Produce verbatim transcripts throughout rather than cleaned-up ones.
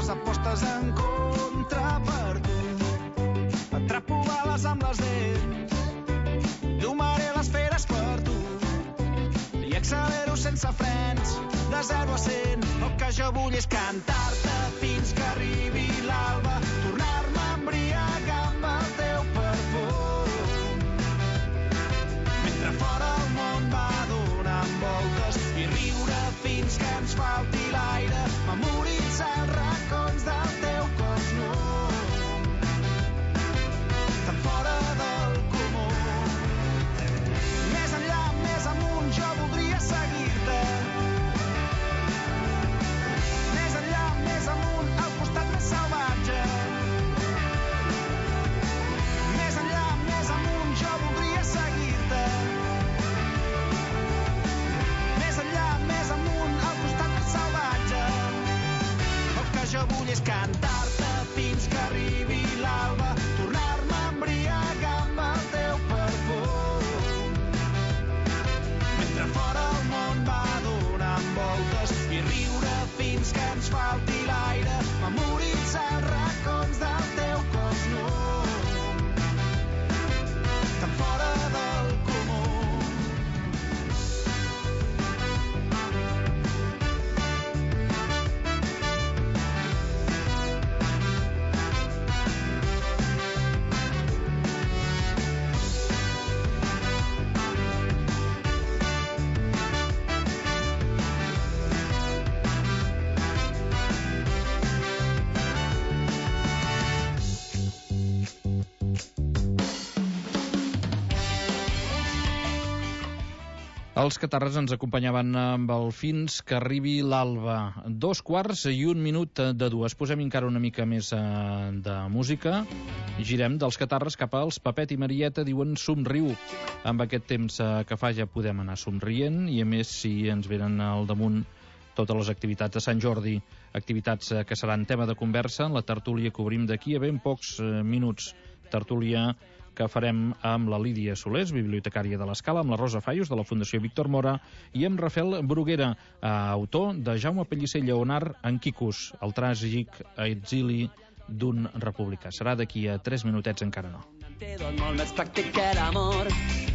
les apostes en contra per tu. Atrapo bales amb les dents, domaré les feres per tu i accelero sense frens, de zero a cent. El que jo vull és cantar-te fins que arribi l'alba, tornar-me a embriagar amb el teu perfum, mentre fora el món va donant voltes, i riure fins que ens falti l'aire, memoritzar els racons del teu cos nu, tan fora del comú. Més enllà, més amunt, jo voldria seguir-te. Més enllà, més amunt, al costat més salvatge. Més enllà, més amunt, jo voldria seguir-te. Més enllà, més amunt, al costat més salvatge. El que jo vull és cantar-te fins que arribi l'alba, tornar-me a embriagar amb el teu perfum, mentre fora el món va donant voltes, i riure fins que ens falti l'aire, memoritzar els racons del teu cos nu, tan fora del comú. Els catarres ens acompanyaven amb el Fins que arribi l'alba. Dos quarts i un minut de dues. Posem encara una mica més eh, de música. Girem dels catarres cap als Pepet i Marieta, diuen somriu. Amb aquest temps eh, que fa ja podem anar somrient, i a més si ens venen al damunt totes les activitats de Sant Jordi, activitats eh, que seran tema de conversa en la tertúlia que obrim d'aquí a ben pocs eh, minuts. Tertúlia que farem amb la Lídia Solés, bibliotecària de l'Escala, amb la Rosa Fallos, de la Fundació Víctor Mora, i amb Rafael Bruguera, eh, autor de Jaume Pellicer Lleonard en Quicus, el tràgic exili d'un republicà. Serà d'aquí a tres minutets, encara no. Molt més pràctic que l'amor.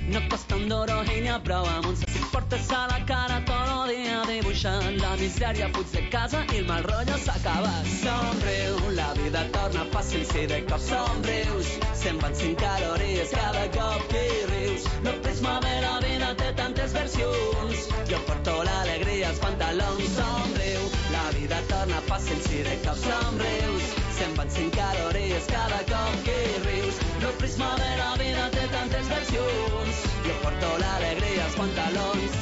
No costa un duro i n'hi ha prou amb un si portes a la cara tot el dia dibuixant la misèria, fuig de casa i el mal rotllo s'acaba. Somriu, la vida torna fàcil si de cop somrius, se'n van cinc calories cada cop que rius. No prisma de la vida té tantes versions, jo porto l'alegria als pantalons. Somriu, la vida torna fàcil si de cop somrius, se'n van cinc calories cada cop que rius. No prisma de la vida té tantes versions, jo porto l'alegria als pantalons.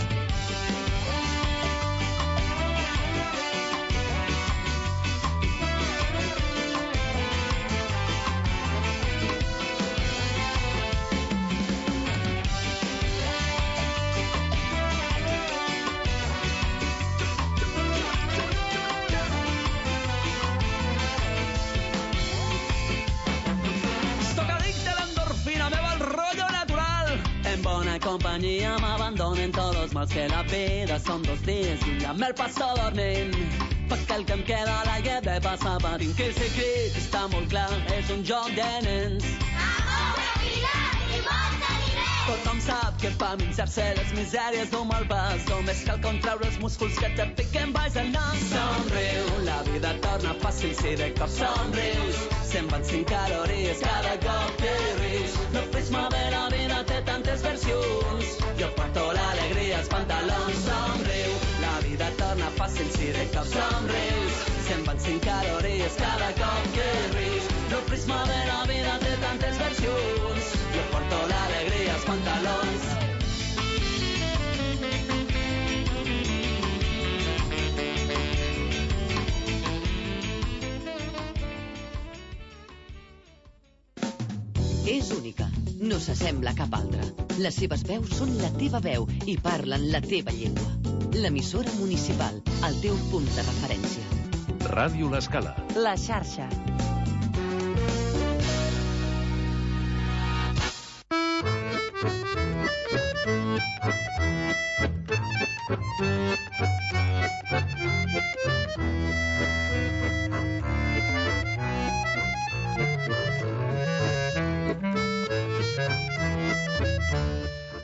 Compañía me abandonen todos los mals que la vida son dos días y un día me el passo dormint, perquè el que em queda a l'aire de passar patint, que el secret està molt clar, és un joc de nens. Amor, tranquil·litat i molta diners. Tothom sap que per minxar-se les misèries d'un mal pas només cal contraure els músculs que te piquen baix el nas. Somriu, la vida torna fàcil si de cop somrius, se'n van cinc calories cada cop que rius. No prisma de la vida té tantes versions, jo porto l'alegria als pantalons. Somriu, la vida torna fàcil si de cop somrius, se'n van cinc calories cada cop que rius. No prisma de la vida té tantes versions, jo porto l'alegria als pantalons. És única, no s'assembla a cap altra. Les seves veus són la teva veu i parlen la teva llengua. L'emissora municipal, el teu punt de referència. Ràdio L'Escala. La xarxa.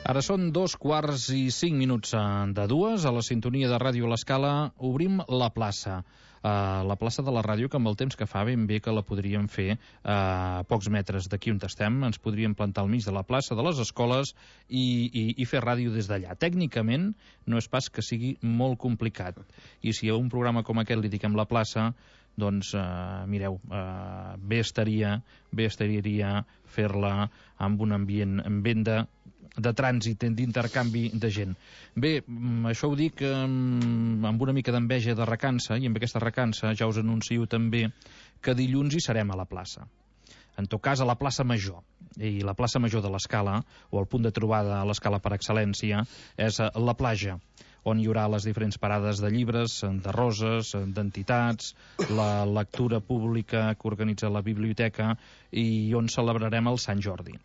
Ara són dos quarts i cinc minuts de dues. A la sintonia de Ràdio a l'Escala obrim la plaça. Uh, la plaça de la ràdio, que amb el temps que fa ben bé que la podríem fer uh, a pocs metres d'aquí on estem. Ens podríem plantar al mig de la plaça de les escoles i, i, i fer ràdio des d'allà. Tècnicament no és pas que sigui molt complicat. I si a un programa com aquest li diquem la plaça, doncs, uh, mireu, uh, bé estaria, bé estaria fer-la amb un ambient, ambient de, de trànsit, d'intercanvi de gent. Bé, això ho dic um, amb una mica d'enveja de recança, i amb aquesta recança ja us anuncio també que dilluns hi serem a la plaça. En tot cas, a la plaça Major. I la plaça Major de l'Escala, o el punt de trobada a l'Escala per excel·lència, és la platja, on hi haurà les diferents parades de llibres, de roses, d'entitats, la lectura pública que organitza la biblioteca i on celebrarem el Sant Jordi.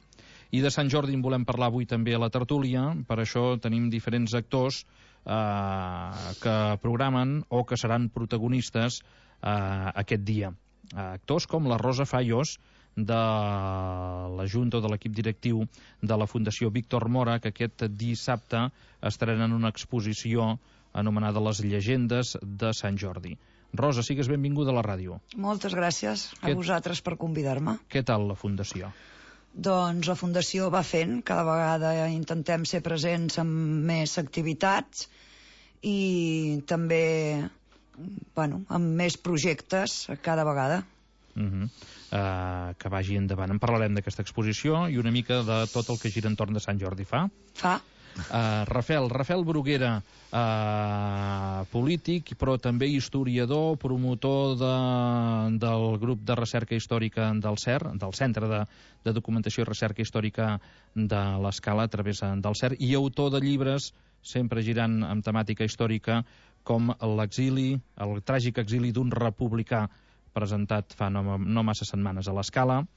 I de Sant Jordi en volem parlar avui també a la tertúlia, per això tenim diferents actors eh, que programen o que seran protagonistes eh, aquest dia. Eh, actors com la Rosa Fallos, de la Junta o de l'equip directiu de la Fundació Víctor Mora, que aquest dissabte estrenen una exposició anomenada Les llegendes de Sant Jordi. Rosa, sigues benvinguda a la ràdio. Moltes gràcies a Què... vosaltres per convidar-me. Què tal la Fundació? Doncs la Fundació va fent, cada vegada intentem ser presents en més activitats i també, bueno, amb més projectes cada vegada. Uh -huh. uh, que vagi endavant. En parlarem d'aquesta exposició i una mica de tot el que gira entorn de Sant Jordi. Fa? Fa. Uh, Rafael, Rafael Bruguera, uh, polític, però també historiador, promotor de, del grup de recerca històrica del C E R, del Centre de, de Documentació i Recerca Històrica de l'Escala, a través del C E R, i autor de llibres, sempre girant amb temàtica històrica, com l'exili, el tràgic exili d'un republicà, presentat fa no, no massa setmanes a l'Escala,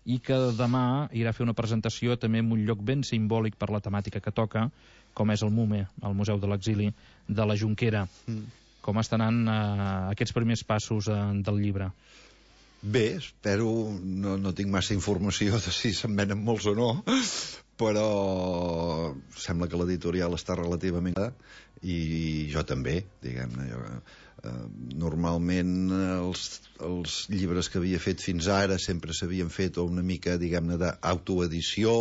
i que demà irà a fer una presentació també en un lloc ben simbòlic per la temàtica que toca, com és el MUME, el Museu de l'Exili de la Jonquera. Mm. Com estan anant eh, aquests primers passos eh, del llibre? Bé, espero, no, no tinc massa informació de si se'n venen molts o no, però sembla que l'editorial està relativament i jo també, diguem-ne. Jo, eh, normalment els, els llibres que havia fet fins ara sempre s'havien fet una mica, diguem-ne, d'autoedició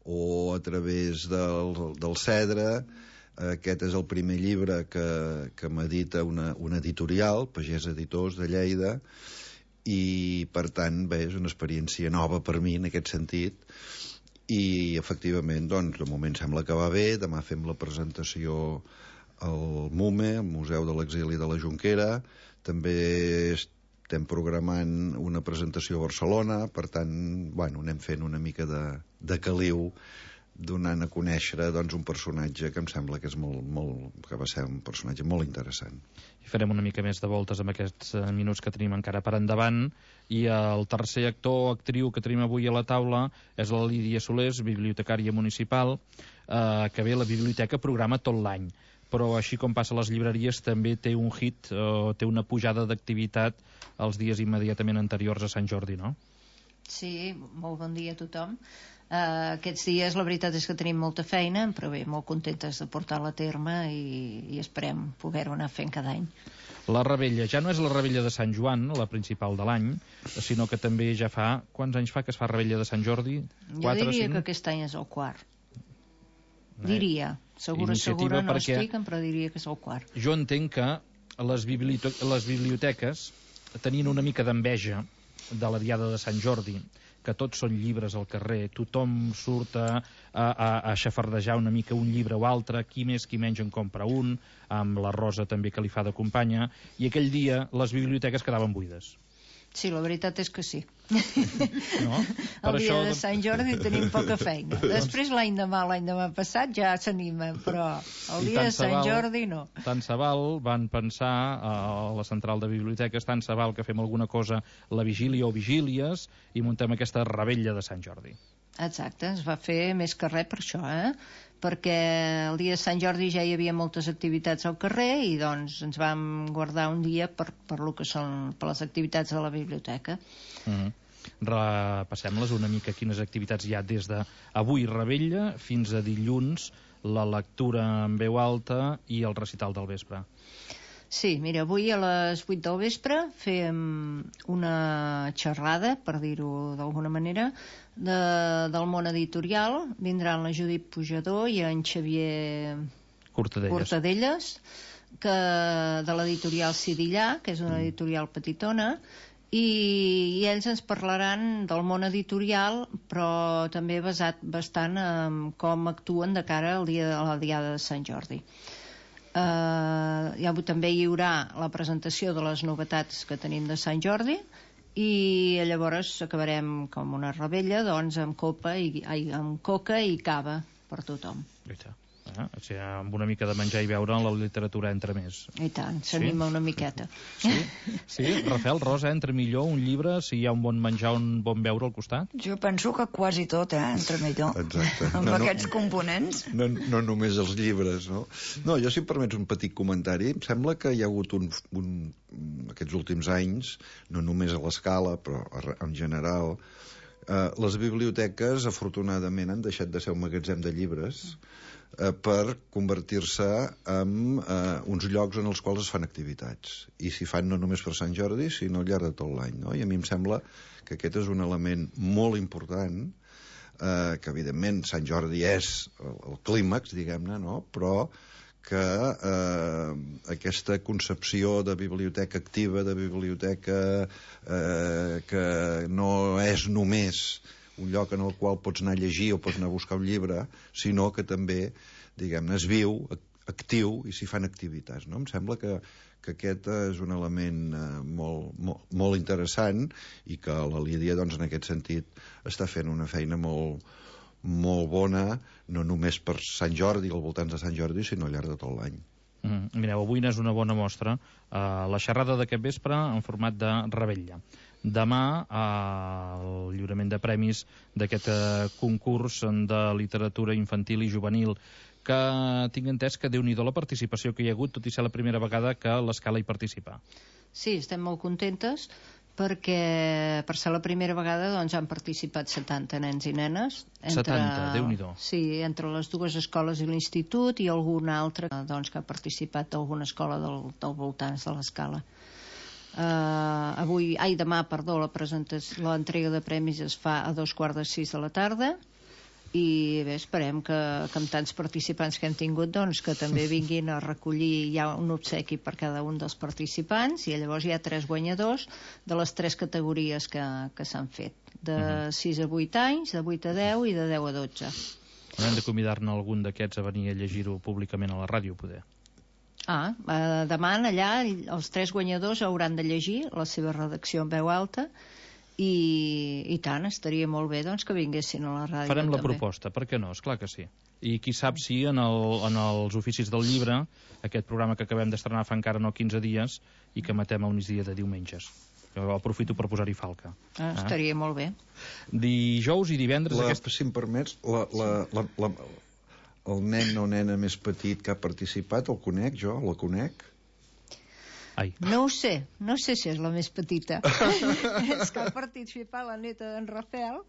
o a través del, del Cedre. Aquest és el primer llibre que, que m'edita una, una editorial, Pagès Editors de Lleida, i per tant, bé, és una experiència nova per mi en aquest sentit. I efectivament, doncs, de moment sembla que va bé. Demà fem la presentació al MUME, al Museu de l'Exili de la Jonquera. També estem programant una presentació a Barcelona, per tant, bueno, anem fent una mica de, de caliu, donant a conèixer, doncs, un personatge que em sembla que és molt, molt, que va ser un personatge molt interessant. I farem una mica més de voltes amb aquests minuts que tenim encara per endavant. I el tercer actor o actriu que tenim avui a la taula és la Lídia Solés, bibliotecària municipal, eh, que ve a la biblioteca, programa tot l'any. Però així com passa a les llibreries, també té un hit, o té una pujada d'activitat els dies immediatament anteriors a Sant Jordi, no? Sí, molt bon dia a tothom. Uh, aquests dies la veritat és que tenim molta feina, però bé, molt contentes de portar-la a terme i, i esperem poder-ho anar fent cada any. La Rebella ja no és la Rebella de Sant Joan, la principal de l'any, sinó que també ja fa... Quants anys fa que es fa Rebella de Sant Jordi? Jo diria que aquest any és el quart. Diria. Segura, segura no estic, però diria que és el quart. Jo entenc que les, bibliote les biblioteques tenien una mica d'enveja de la diada de Sant Jordi, que tots són llibres al carrer, tothom surt a, a, a xafardejar una mica un llibre o altre, qui més qui menys en compra un, amb la Rosa també que li fa de companya, i aquell dia les biblioteques quedaven buides. Sí, la veritat és que sí. No? El dia de Sant Jordi tenim poca feina. Després l'any demà, l'any demà passat ja s'anima, però el dia de Sant Jordi no. Tant se val, van pensar a la central de biblioteques, tant se val que fem alguna cosa la vigília o vigílies i muntem aquesta Rebella de Sant Jordi. Exacte, es va fer més que res per això, eh? Perquè el dia de Sant Jordi ja hi havia moltes activitats al carrer i doncs ens vam guardar un dia per, per lo que són per les activitats de la biblioteca. Uh-huh. Repassem-les una mica, quines activitats hi ha des d'avui Revetlla fins a dilluns, la lectura en veu alta i el recital del vespre. Sí, mira, avui a les vuit del vespre fem una xerrada, per dir-ho d'alguna manera, de, del món editorial. Vindran la Judit Pujador i en Xavier Cortadelles, Cortadelles que, de l'editorial Sidillà, que és una editorial petitona, i, i ells ens parlaran del món editorial, però també basat bastant en com actuen de cara al dia de la Diada de Sant Jordi. Uh, ja, també hi haurà la presentació de les novetats que tenim de Sant Jordi i llavors acabarem com una revetlla, doncs amb copa i, ai, amb coca i cava per tothom. Ah, o sigui, amb una mica de menjar i beure la literatura entra més. I tant, s'anima sí? una miqueta. Sí? Sí? Rafael, Rosa, entra millor un llibre si hi ha un bon menjar, un bon beure al costat? Jo penso que quasi tot, eh, entra millor. Exacte. Amb no, aquests no, components. No, no només els llibres, no? No, jo, si em permets un petit comentari, em sembla que hi ha hagut un, un, aquests últims anys, no només a l'escala, però en general, eh, les biblioteques, afortunadament, han deixat de ser un magatzem de llibres eh, per convertir-se en eh, uns llocs en els quals es fan activitats. I s'hi fan no només per Sant Jordi, sinó al llarg de tot l'any, no? I a mi em sembla que aquest és un element molt important, eh, que evidentment Sant Jordi és el, el clímax, diguem-ne, no? Però que eh, aquesta concepció de biblioteca activa, de biblioteca eh, que no és només un lloc en el qual pots anar a llegir o pots anar a buscar un llibre, sinó que també, diguem-ne, es viu, actiu, i s'hi fan activitats, no? Em sembla que, que aquest és un element eh, molt, molt, molt interessant i que la Lídia, doncs, en aquest sentit, està fent una feina molt, molt bona, no només per Sant Jordi, al voltant de Sant Jordi, sinó al llarg de tot l'any. Mm, mireu, avui n'és una bona mostra. Uh, la xerrada d'aquest vespre en format de revetlla. Demà, uh, el lliurament de premis d'aquest uh, concurs de literatura infantil i juvenil, que tinc entès que Déu-n'hi-do la participació que hi ha hagut, tot i ser la primera vegada que l'Escala hi participa. Sí, estem molt contentes, perquè per ser la primera vegada doncs, han participat setanta nens i nenes. Entre, setanta, Déu-n'hi-do. Sí, entre les dues escoles i l'institut i algun altre doncs, que ha participat d'alguna escola del, del voltants de l'Escala. Uh, avui, ai, demà, perdó, la presentació, l'entrega de premis es fa a dos quarts de sis de la tarda i bé, esperem que, que amb tants participants que hem tingut, doncs, que també vinguin a recollir, hi ha un obsequi per cada un dels participants i llavors hi ha tres guanyadors de les tres categories que, que s'han fet, de sis a vuit anys, de vuit a deu i de deu a dotze. Hem de convidar-ne algun d'aquests a venir a llegir-ho públicament a la ràdio, poder. Ah, eh, demà allà els tres guanyadors hauran de llegir la seva redacció en veu alta i, i tant, estaria molt bé doncs, que vinguessin a la ràdio. Farem la també. proposta, per què no? Esclar que sí. I qui sap si en, el, en els oficis del llibre, aquest programa que acabem d'estrenar fa encara no quinze dies i que matem al migdia de diumenges. Jo aprofito per posar-hi falca. Ah, estaria ah. molt bé. Dijous i divendres... La, aquest... Si em permets, la, la, la, la, el nen o nena més petit que ha participat, el conec jo, la conec? Ai. No ho sé, no sé si és la més petita. És que ha participar la neta d'en Rafael,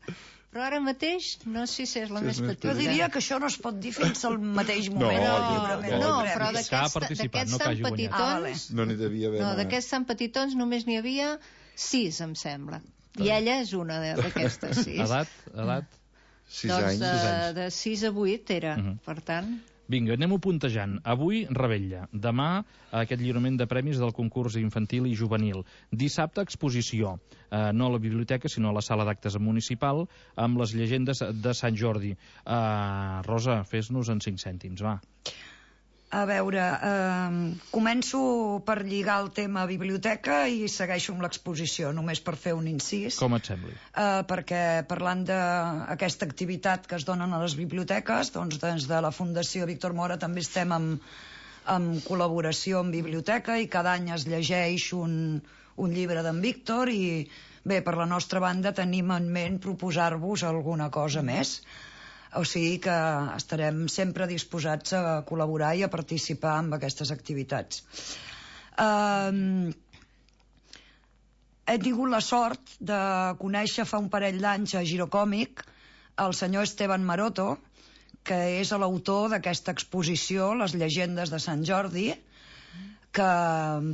però ara mateix no sé si és la sí, més petita. Jo diria que això no es pot dir fins al mateix moment. No, no, no, no però d'aquests no tan petitons... Ah, vale. No n'hi devia haver. No, d'aquests tan petitons només n'hi havia sis, em sembla. I ella és una d'aquestes sis. Edat? Edat? Sis doncs anys. De, de sis a vuit era, uh -huh. per tant... Vinga, anem-ho puntejant. Avui, revetlla. Demà, aquest lliurament de premis del concurs infantil i juvenil. Dissabte, exposició. Eh, no a la biblioteca, sinó a la sala d'actes municipal, amb les llegendes de Sant Jordi. Eh, Rosa, fes-nos en cinc cèntims, va. A veure, eh, començo per lligar el tema biblioteca i segueixo amb l'exposició, només per fer un incís. Com et sembli? Eh, perquè parlant d'aquesta activitat que es donen a les biblioteques, doncs des de la Fundació Víctor Mora també estem en, en col·laboració amb biblioteca i cada any es llegeix un, un llibre d'en Víctor i bé, per la nostra banda tenim en ment proposar-vos alguna cosa més. O sigui que estarem sempre disposats a col·laborar i a participar en aquestes activitats. Um, he tingut la sort de conèixer fa un parell d'anys a Girocòmic el senyor Esteban Maroto, que és l'autor d'aquesta exposició, Les llegendes de Sant Jordi, que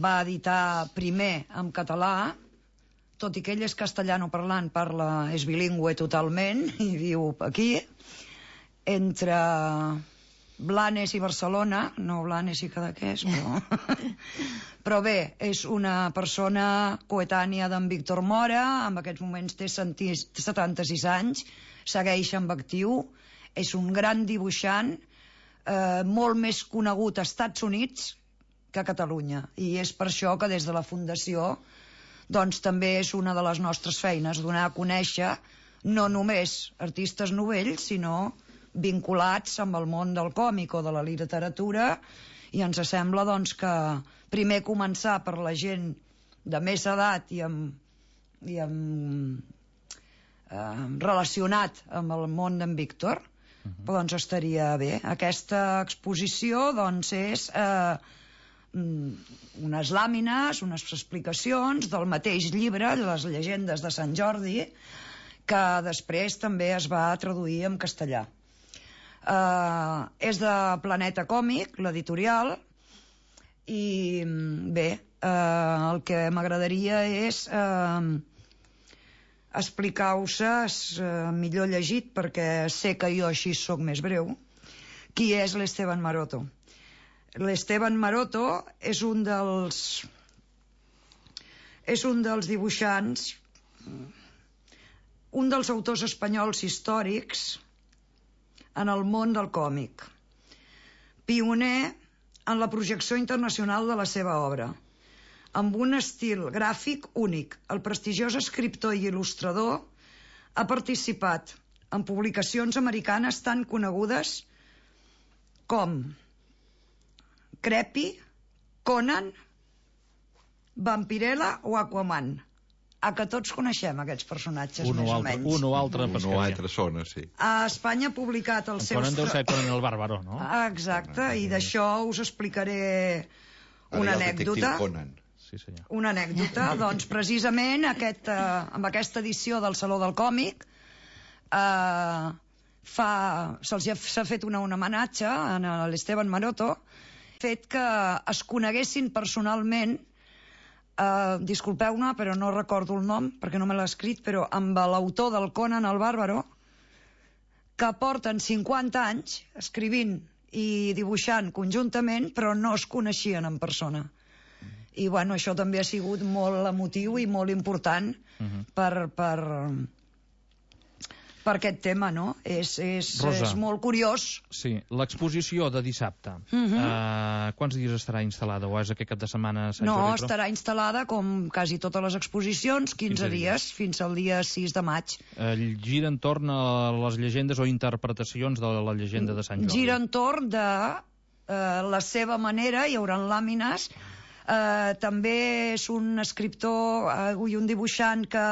va editar primer en català, tot i que ell és castellano parlant, parla, és bilingüe totalment, i viu aquí, entre Blanes i Barcelona, no Blanes i Cadaqués, però... però bé, és una persona coetània d'en Víctor Mora, en aquests moments té setanta-sis anys, segueix amb actiu, és un gran dibuixant, eh, molt més conegut als Estats Units que a Catalunya, i és per això que des de la Fundació doncs també és una de les nostres feines, donar a conèixer no només artistes novells, sinó vinculats amb el món del còmic o de la literatura, i ens sembla doncs que primer començar per la gent de més edat i amb, i amb eh, relacionat amb el món d'en Víctor, uh-huh. doncs estaria bé. Aquesta exposició doncs és eh, unes làmines, unes explicacions del mateix llibre, Les llegendes de Sant Jordi, que després també es va traduir en castellà. Uh, és de Planeta Còmic, l'editorial, i bé, uh, el que m'agradaria és uh, explicar-vos, uh, millor llegit, perquè sé que jo així sóc més breu, qui és l'Esteban Maroto. L'Esteban Maroto és un dels és un dels dibuixants, un dels autors espanyols històrics en el món del còmic, pioner en la projecció internacional de la seva obra, amb un estil gràfic únic. El prestigiós escriptor i il·lustrador ha participat en publicacions americanes tan conegudes com Creepy, Conan, Vampirella o Aquaman. A que tots coneixem aquests personatges, un més o, o altre, menys. Un o altre Un o altre sona, sí. A Espanya ha publicat els seus... Conan deu ser Conan el Bàrbaro, no? Ah, exacte, i d'això us explicaré una anècdota. Conan. Sí, senyor. Una anècdota, doncs precisament aquest, eh, amb aquesta edició del Saló del Còmic eh, fa, se'ls ha, s'ha fet una, un homenatge a l'Esteban Maroto, fet que es coneguessin personalment. Uh, disculpeu-me, però no recordo el nom, perquè no me l'ha escrit, però amb l'autor del Conan el Bàrbaro, que porten cinquanta anys escrivint i dibuixant conjuntament, però no es coneixien en persona. I, bueno, això també ha sigut molt emotiu i molt important uh-huh. per, per, per aquest tema, no? És, és, és molt curiós. Sí, l'exposició de dissabte, uh-huh. uh, quants dies estarà instal·lada? O és aquest cap de setmana? No, Jordi, estarà instal·lada, com quasi totes les exposicions, quinze, quinze dies, dies, fins al dia sis de maig. Uh, gira entorn a les llegendes o interpretacions de la llegenda de Sant Jordi? Gira entorn de uh, la seva manera, hi haurà làmines. Uh, també és un escriptor uh, i un dibuixant que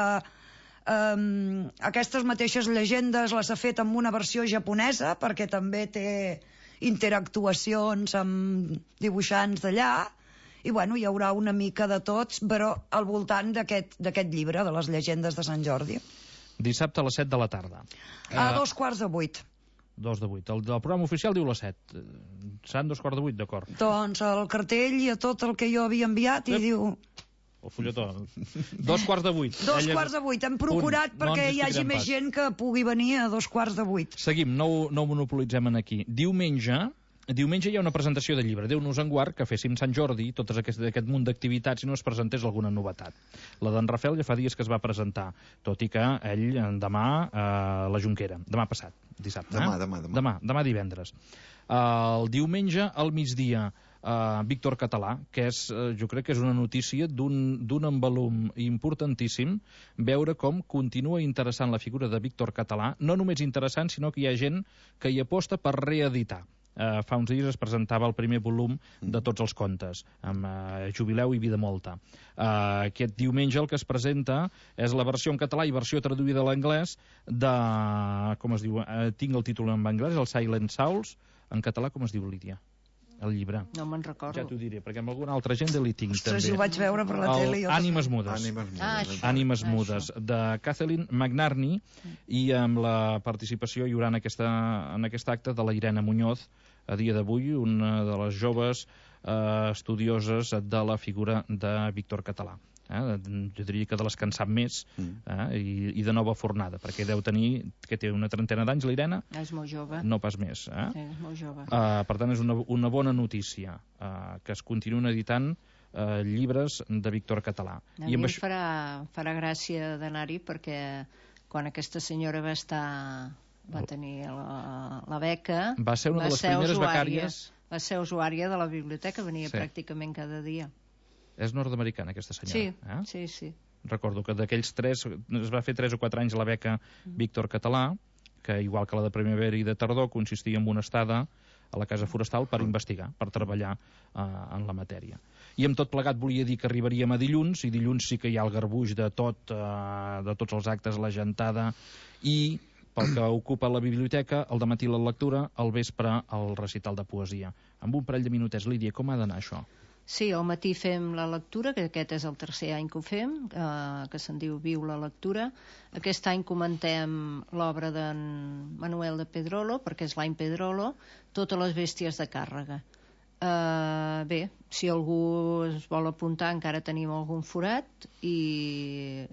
Um, aquestes mateixes llegendes les ha fet amb una versió japonesa, perquè també té interactuacions amb dibuixants d'allà, i bueno, hi haurà una mica de tots, però al voltant d'aquest d'aquest llibre, de les llegendes de Sant Jordi. Dissabte a les set de la tarda. A uh, dos quarts de vuit. Dos de vuit. El, el programa oficial diu les set. Seran dos quarts de vuit, d'acord. Doncs el cartell i a tot el que jo havia enviat, i Ep. diu... El fulletó. Dos quarts de vuit. Dos Ella... quarts de vuit. Hem procurat Punt. perquè no hi hagi més gent que pugui venir a dos quarts de vuit. Seguim, no, no ho monopolitzem aquí. Diumenge, diumenge hi ha una presentació de llibre. Déu-nos en guard que féssim Sant Jordi, tot aquest, aquest munt d'activitats, i no es presentés alguna novetat. La d'en Rafael ja fa dies que es va presentar, tot i que ell demà a eh, la Jonquera. Demà passat, dissabte. Demà, eh? demà, demà. Demà, demà divendres. Uh, el diumenge, al migdia, Uh, Víctor Català, que és, uh, jo crec que és una notícia d'un envolum importantíssim, veure com continua interessant la figura de Víctor Català, no només interessant, sinó que hi ha gent que hi aposta per reeditar. Uh, fa uns dies es presentava el primer volum de tots els contes, amb uh, Jubileu i Vida Molta. Uh, aquest diumenge el que es presenta és la versió en català i versió traduïda a l'anglès de... com es diu? Uh, tinc el títol en anglès, el Silent Souls. En català com es diu, Lídia? el llibre? No me'n recordo. Ja t'ho diré, perquè amb alguna altra gent li tinc, Ostres, també. ho vaig veure per la tele. El Ànimes mudes. Ànimes mudes. Ah, això. Ànimes Ah, mudes, de Kathleen McNarney, i amb la participació hi haurà en, aquesta, en aquest acte de la Irene Muñoz, a dia d'avui, una de les joves eh, estudioses de la figura de Víctor Català. Eh? Jo diria que de les que en sap més, eh? I, i de nova fornada, perquè deu tenir, que té una trentena d'anys, la Irene? És molt jove. No pas més. Eh? Sí, és molt jove. Uh, per tant, és una, una bona notícia uh, que es continuen editant uh, llibres de Víctor Català. A I mi amb em això... farà, farà gràcia d'anar-hi perquè quan aquesta senyora va estar va tenir la, la beca Va ser una de les ser primeres usuària, becàries. va ser usuària de la biblioteca, venia Sí. pràcticament cada dia. És nord-americana, aquesta senyora. Sí, eh? sí, sí. Recordo que d'aquells tres, es va fer tres o quatre anys la beca Víctor Català, que igual que la de primavera i de tardor, consistia en una estada a la Casa Forestal per investigar, per treballar eh, en la matèria. I amb tot plegat volia dir que arribaríem a dilluns, i dilluns sí que hi ha el garbuix de tot, eh, de tots els actes, la gentada, i pel que ocupa la biblioteca, al dematí la lectura, al vespre el recital de poesia. Amb un parell de minutets, Lídia, com ha d'anar això? Sí, al matí fem la lectura, que aquest és el tercer any que ho fem, eh, que se'n diu Viu la lectura. Aquest any comentem l'obra d'en Manuel de Pedrolo, perquè és l'any Pedrolo, Totes les bèsties de càrrega. Eh, bé, si algú es vol apuntar, encara tenim algun forat, i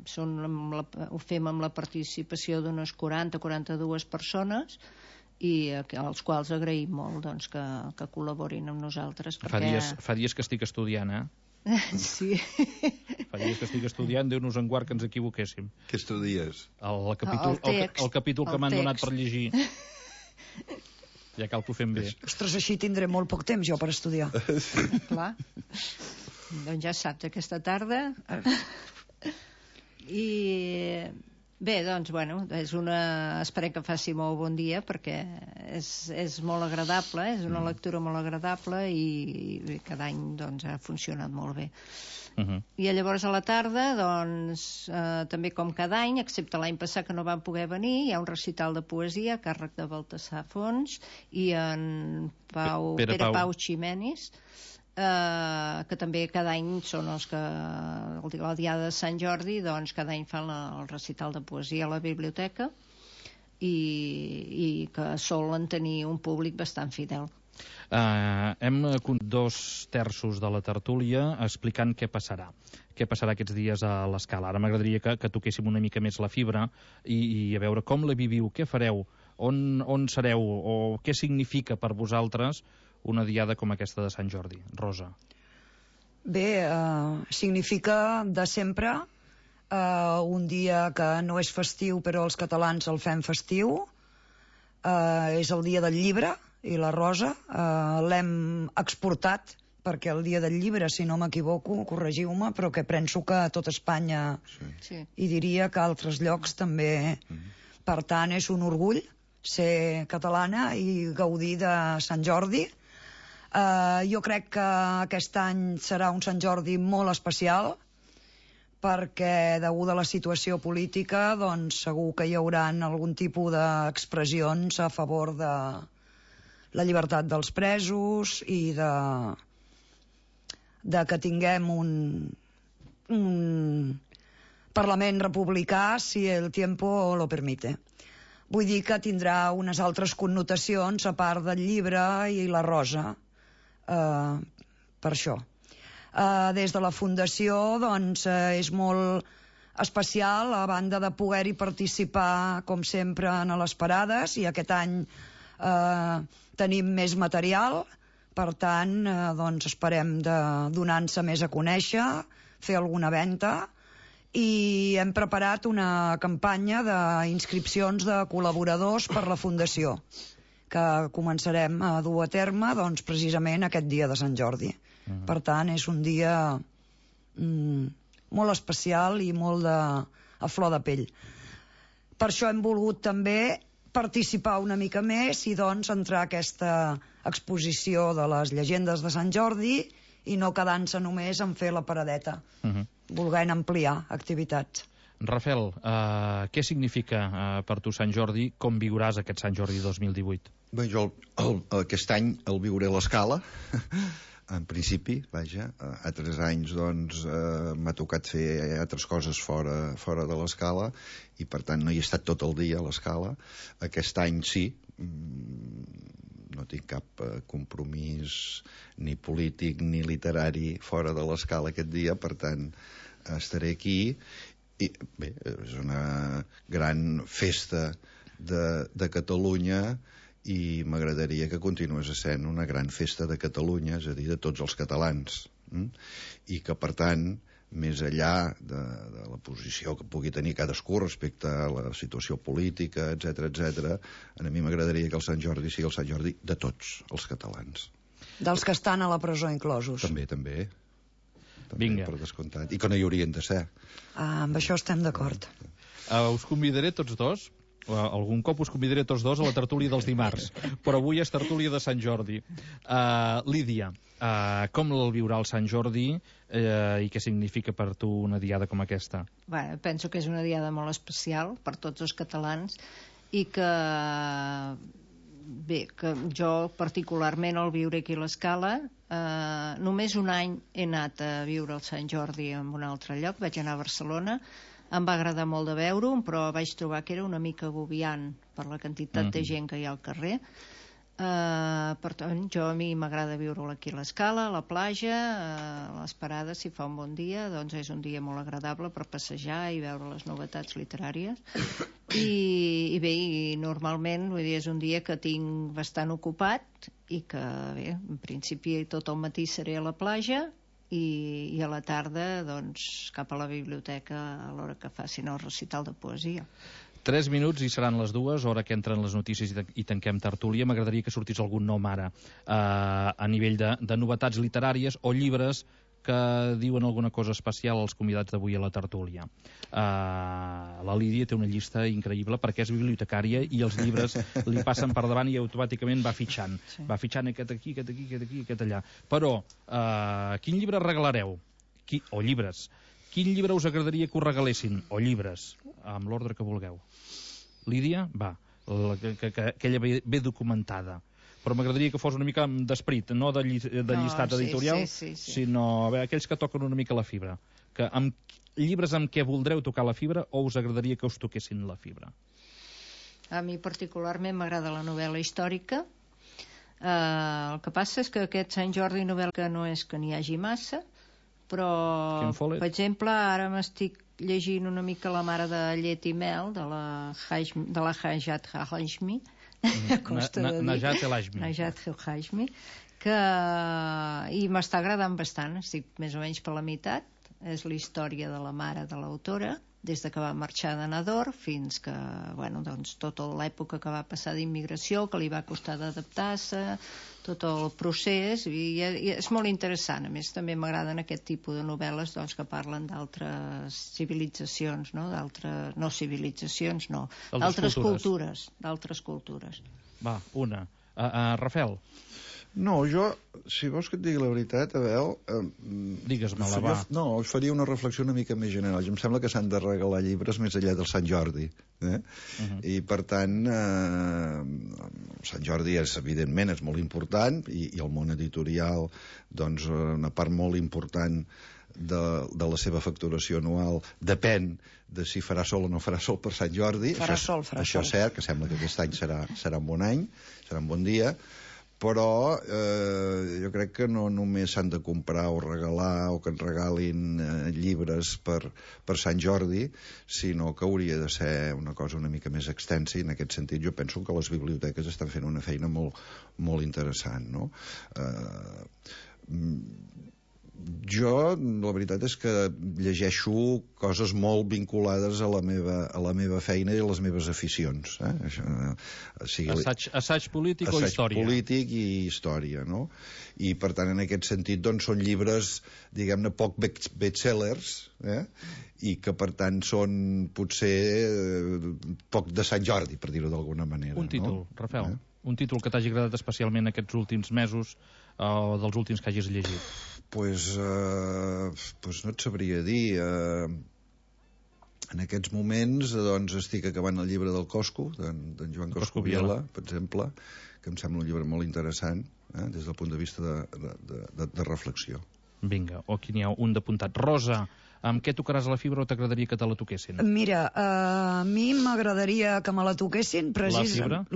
són amb la, ho fem amb la participació d'unes quaranta a quaranta-dues persones, i als quals agraïm molt doncs, que, que col·laborin amb nosaltres. Fa, perquè... dies, fa dies que estic estudiant, eh? Sí. Fa dies que estic estudiant, Déu-nos en guard que ens equivoquéssim. Què estudies? El, el capítol, El text, el, el capítol que el m'han text. donat per llegir. Ja cal que ho fem bé. Ostres, així tindré molt poc temps jo per estudiar. Clar. Doncs ja saps, aquesta tarda. I bé, doncs, bueno, és una... esperem que faci molt bon dia perquè és, és molt agradable, és una lectura molt agradable i, i cada any doncs, ha funcionat molt bé. Uh -huh. I llavors a la tarda, doncs, eh, també com cada any, excepte l'any passat que no van poder venir, hi ha un recital de poesia a càrrec de Baltasar Fons i en Pau, Pere Pere Pau. Pau Ximenis, eh, que també cada any són els que el, la diada de Sant Jordi, doncs cada any fan la, el recital de poesia a la biblioteca i, i que solen tenir un públic bastant fidel. Uh, hem conegut dos terços de la tertúlia explicant què passarà. Què passarà aquests dies a l'Escala. Ara m'agradaria que, que toquéssim una mica més la fibra i, i a veure com la viviu, què fareu, on, on sereu o què significa per vosaltres una diada com aquesta de Sant Jordi. Rosa. Bé, eh, significa de sempre eh, un dia que no és festiu però els catalans el fem festiu. Eh, és el dia del llibre i la Rosa eh, l'hem exportat perquè el dia del llibre, si no m'equivoco, corregiu-me, però que penso que a tot Espanya Sí. Sí. i diria que a altres llocs també. Per tant, és un orgull ser catalana i gaudir de Sant Jordi. Uh, jo crec que aquest any serà un Sant Jordi molt especial perquè, degut a la situació política, doncs segur que hi haurà algun tipus d'expressions a favor de la llibertat dels presos i de, de que tinguem un, un Parlament republicà si el tiempo lo permite. Vull dir que tindrà unes altres connotacions a part del llibre i la Rosa. Uh, per això. Uh, des de la Fundació, doncs, uh, és molt especial, a banda de poder-hi participar, com sempre, en les parades, i aquest any uh, tenim més material, per tant, uh, doncs, esperem de donar-se més a conèixer, fer alguna venda, i hem preparat una campanya d'inscripcions de col·laboradors per la Fundació, que començarem a dur a terme doncs, precisament aquest dia de Sant Jordi. Uh-huh. Per tant, és un dia mm, molt especial i molt de, a flor de pell. Per això hem volgut també participar una mica més i doncs entrar a aquesta exposició de les llegendes de Sant Jordi i no quedant-se només en fer la paradeta, uh-huh. volent ampliar activitats. Rafel, uh, què significa uh, per tu Sant Jordi? Com viuràs aquest Sant Jordi dos mil divuit? Bé, jo el, el, aquest any el viuré a l'Escala, en principi, vaja. Altres anys, doncs, eh, m'ha tocat fer altres coses fora, fora de l'Escala i, per tant, no hi he estat tot el dia a l'Escala. Aquest any sí, no tinc cap eh, compromís ni polític ni literari fora de l'Escala aquest dia, per tant, estaré aquí. I, bé, és una gran festa de, de Catalunya i m'agradaria que continués sent una gran festa de Catalunya, és a dir, de tots els catalans. Mm? I que, per tant, més enllà de, de la posició que pugui tenir cadascú respecte a la situació política, etcètera, etcètera, a mi m'agradaria que el Sant Jordi sigui el Sant Jordi de tots els catalans. Dels que estan a la presó inclosos. També, també. també Vinga. Per descomptat. I que no hi haurien de ser. Ah, amb això estem d'acord. Uh, us convidaré tots dos. Uh, algun cop us convidaré tots dos a la tertúlia dels dimarts, però avui és tertúlia de Sant Jordi. Uh, Lídia, uh, com el viurà el Sant Jordi uh, i què significa per tu una diada com aquesta? Bé, penso que és una diada molt especial per tots els catalans i que, bé, que jo particularment al viure aquí a l'Escala, eh, només un any he anat a viure el Sant Jordi en un altre lloc, vaig anar a Barcelona. Em va agradar molt de veure-ho, però vaig trobar que era una mica agobiant per la quantitat mm-hmm. de gent que hi ha al carrer. Uh, per tant, jo a mi m'agrada viure aquí a l'Escala, a la platja, uh, a les parades, si fa un bon dia, doncs és un dia molt agradable per passejar i veure les novetats literàries. I, i bé, i normalment vull dir, és un dia que tinc bastant ocupat i que, bé, en principi tot el matí seré a la platja i, i a la tarda doncs cap a la biblioteca a l'hora que facin el recital de poesia. Tres minuts i seran les dues, hora que entren les notícies i tanquem tertúlia. M'agradaria que sortís algun nom ara eh, a nivell de, de novetats literàries o llibres que diuen alguna cosa especial als convidats d'avui a la tertúlia. Uh, la Lídia té una llista increïble perquè és bibliotecària i els llibres li passen per davant i automàticament va fitxant. Sí. Va fitxant aquest aquí, aquest aquí, aquest aquí, aquest allà. Però, uh, quin llibre regalareu? Qui, o llibres. Quin llibre us agradaria que us regalessin? O llibres, amb l'ordre que vulgueu. Lídia, va, la, que, que, que aquella ve, ve documentada. Però m'agradaria que fos una mica d'esperit, no de, lli, de no, llistat sí, editorial, sí, sí, sí. sinó a veure, aquells que toquen una mica la fibra. Que amb llibres amb què voldreu tocar la fibra o us agradaria que us toquessin la fibra? A mi particularment m'agrada la novel·la històrica. Uh, el que passa és que aquest Sant Jordi novel·la que no és que n'hi hagi massa, però, per exemple, ara m'estic llegint una mica La mare de llet i mel, de la, Hajmi, de la Hajat Hajmi, costa de dir. Najat El Hajmi. Najat El Hajmi, que i m'està agradant bastant, estic més o menys per la meitat. És la història de la mare de l'autora, des de que va marxar de Nador fins que, bueno, doncs, tota l'època que va passar d'immigració, que li va costar d'adaptar-se, tot el procés, i, i és molt interessant. A més, també m'agraden aquest tipus de novel·les doncs, que parlen d'altres civilitzacions, no? D'altres, no civilitzacions, no, d'altres cultures. D'altres cultures. Va, una. Uh, uh, Rafael. No, jo, si vols que et digui la veritat, Abel... Eh, Digues-me-la, va. No, faria una reflexió una mica més general. Jo em sembla que s'han de regalar llibres més enllà del Sant Jordi. Eh? Uh-huh. I, per tant, eh, Sant Jordi és, evidentment, és molt important, i, i el món editorial, doncs, una part molt important de, de la seva facturació anual depèn de si farà sol o no farà sol per Sant Jordi. Farà això, sol, farà això sol. és cert, que sembla que aquest any serà, serà un bon any, serà un bon dia, però eh, jo crec que no només s'han de comprar o regalar o que ens regalin eh, llibres per, per Sant Jordi, sinó que hauria de ser una cosa una mica més extensa, i en aquest sentit jo penso que les biblioteques estan fent una feina molt, molt interessant, no? Eh, jo, la veritat és que llegeixo coses molt vinculades a la meva, a la meva feina i a les meves aficions. Eh? Això, o sigui, assaig, assaig polític assaig o història? Assaig polític i història, no? I, per tant, en aquest sentit, doncs, són llibres, diguem-ne, poc bestsellers, eh? I que, per tant, són, potser, eh, poc de Sant Jordi, per dir-ho d'alguna manera. Un títol, no? Rafael. Eh? Un títol que t'hagi agradat especialment aquests últims mesos, o dels últims que hagis llegit? Pues, uh, pues no et sabria dir. Uh, En aquests moments doncs, estic acabant el llibre del Cosco, d'en Joan Cosco Viela, per exemple, que em sembla un llibre molt interessant, eh, des del punt de vista de, de, de, de reflexió. Vinga, o aquí n'hi ha un d'apuntat. Rosa, amb què tocaràs la fibra o t'agradaria que te la toquessin? Mira, uh, a mi m'agradaria que me la toquessin precisament... La fibra? La